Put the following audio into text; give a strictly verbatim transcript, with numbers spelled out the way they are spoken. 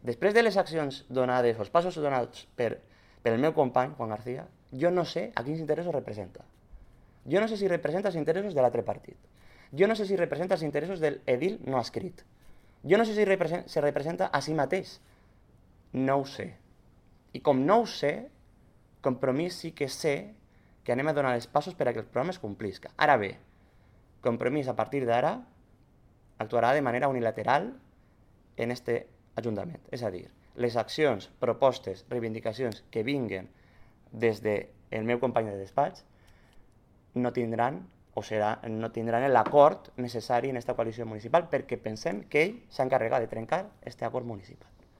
Després de les accions donades, o els passos donats per, per el meu company, Juan García, jo no sé a quins interessos representa. Jo no sé si representa els interessos de l'altre partit. Jo no sé si representa els interessos de l'edil no escrit. Jo no sé si representa, si representa a si mateix. No ho sé. I com no ho sé, Compromís sí que sé que anem a donar els passos per a que el programa es complisca. Ara bé, Compromís a partir d'ara actuarà de manera unilateral en este Ajuntament. És a dir, les accions, propostes, reivindicacions que vinguen des del meu company de despatx no tindran o serà, no tindran l'acord necessari en aquesta coalició municipal perquè pensem que ell s'ha encarregat de trencar aquest acord municipal.